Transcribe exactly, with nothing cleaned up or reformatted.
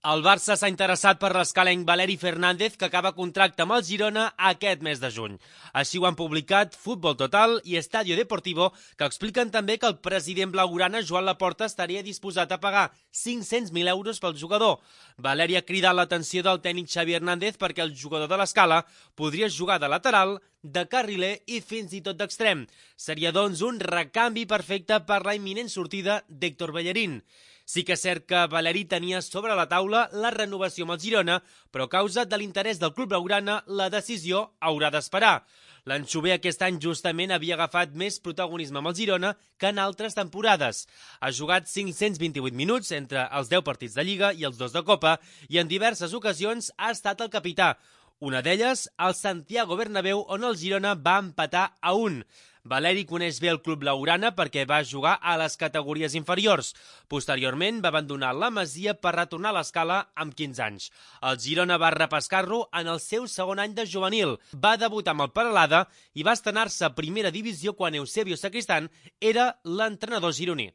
El Barça s'ha interessat per l'escalenc Valeri Fernández, que acaba contracte amb el Girona aquest mes de juny. Així ho han publicat Futbol Total i Estadio Deportivo, que expliquen també que el president blaugrana, Joan Laporta, estaria disposat a pagar cinc-cents mil euros pel jugador. Valeri ha cridat l'atenció del tècnic Xavi Hernández perquè el jugador de l'Escala podria jugar de lateral, de carriler i fins i tot d'extrem. Seria, doncs, un recanvi perfecte per la imminent sortida d'Héctor Bellerín. Sí que és cert que Valeri tenia sobre la taula la renovació amb el Girona, però a causa de l'interès del club blaugrana, la decisió haurà d'esperar. L'Anxover aquest any justament havia agafat més protagonisme amb el Girona que en altres temporades. Ha jugat cinc-cents vint-i-vuit minuts entre els deu partits de Lliga i els dos de Copa i en diverses ocasions ha estat el capità. Una d'elles, al Santiago Bernabéu, on el Girona va empatar a un. Valeri coneix bé el club blaugrana perquè va jugar a les categories inferiors. Posteriorment va abandonar la Masia per retornar a l'Escala amb quinze anys. El Girona va repescar-lo en el seu segon any de juvenil. Va debutar amb el Peralada i va estrenar-se a primera divisió quan Eusebio Sacristán era l'entrenador gironí.